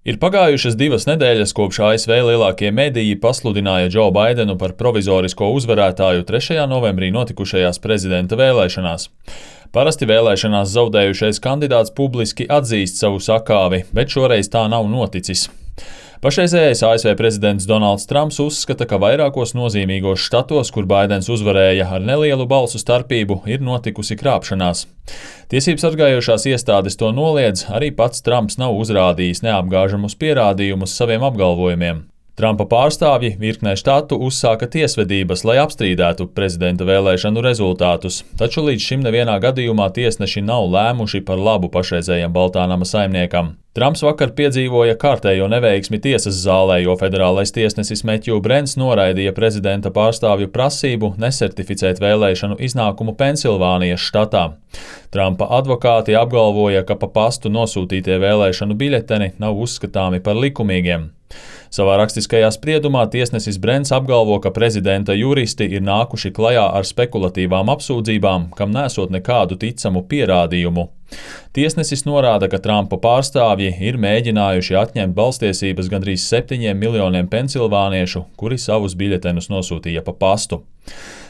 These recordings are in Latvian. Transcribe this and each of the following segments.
Ir pagājušas 2 nedēļas, kopš ASV lielākie mediji pasludināja Džo Baidenu par provizorisko uzvarētāju 3. novembrī notikušajās prezidenta vēlēšanās. Parasti vēlēšanās zaudējušais kandidāts publiski atzīst savu sakāvi, bet šoreiz tā nav noticis. Pašreizējais ASV prezidents Donalds Trumps uzskata, ka vairākos nozīmīgos štatos, kur Baidens uzvarēja ar nelielu balsu starpību, ir notikusi krāpšanās. Tiesības sargājošās iestādes to noliedz, arī pats Trumps nav uzrādījis neapgāžamus pierādījumus saviem apgalvojumiem. Trumpa pārstāvji virknē štatu uzsāka tiesvedības, lai apstrīdētu prezidenta vēlēšanu rezultātus, taču līdz šim nevienā gadījumā tiesneši nav lēmuši par labu pašreizējam Baltānama saimniekam. Trumps vakar piedzīvoja kārtējo neveiksmi tiesas zālē, jo federālais tiesnesis Metju Brents noraidīja prezidenta pārstāvju prasību nesertificēt vēlēšanu iznākumu Pensilvānijas štatā. Trumpa advokāti apgalvoja, ka pa pastu nosūtītie vēlēšanu biļeteni nav uzskatāmi par likumīgiem. Savā rakstiskajā spriedumā tiesnesis Brents apgalvo, ka prezidenta juristi ir nākuši klajā ar spekulatīvām apsūdzībām, kam nesot nekādu ticamu pierādījumu. Tiesnesis norāda, ka Trumpa pārstāvji ir mēģinājuši atņemt balstiesības gandrīz 7 miljoniem pensilvāniešu, kuri savus biļetenus nosūtīja pa pastu.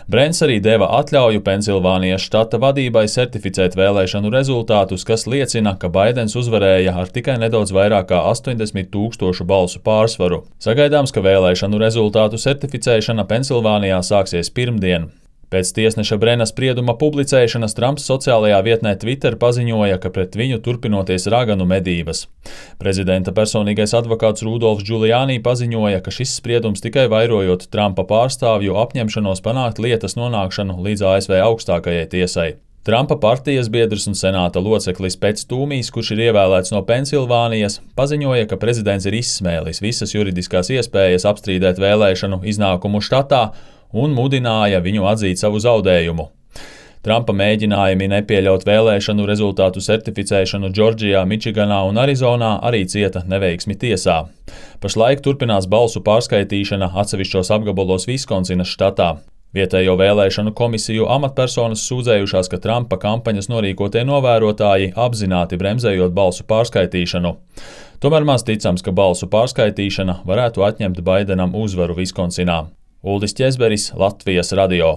Brents arī deva atļauju Pensilvānijas štata vadībai certificēt vēlēšanu rezultātus, kas liecina, ka Baidens uzvarēja ar tikai nedaudz vairāk kā 80,000 balsu pārsvaru. Sagaidāms, ka vēlēšanu rezultātu certificēšana Pensilvānijā sāksies pirmdien. Pēc tiesneša Brena sprieduma publicēšanas Trumps sociālajā vietnē Twitter paziņoja, ka pret viņu turpinoties raganu medības. Prezidenta personīgais advokāts Rudolfs Giuliani paziņoja, ka šis spriedums tikai vairojot Trumpa pārstāvju apņemšanos panākt lietas nonākšanu līdz ASV augstākajai tiesai. Trumpa partijas biedrs un senāta loceklis Pets Tūmijs, kurš ir ievēlēts no Pensilvānijas, paziņoja, ka prezidents ir izsmēlis visas juridiskās iespējas apstrīdēt vēlēšanu iznākumu štatā un mudināja viņu atzīt savu zaudējumu. Trumpa mēģinājumi nepieļaut vēlēšanu rezultātu certificēšanu Džordžijā, Mičiganā un Arizonā arī cieta neveiksmi tiesā. Pašlaik turpinās balsu pārskaitīšana atsevišķos apgabalos Viskonsinas štatā. Vietējo vēlēšanu komisiju amatpersonas sūdzējušās, ka Trumpa kampaņas norīkotie novērotāji apzināti bremzējot balsu pārskaitīšanu. Tomēr maz ticams, ka balsu pārskaitīšana varētu atņemt Baidenam uzvaru Viskonsinā. Uldis Ķezberis, Latvijas radio.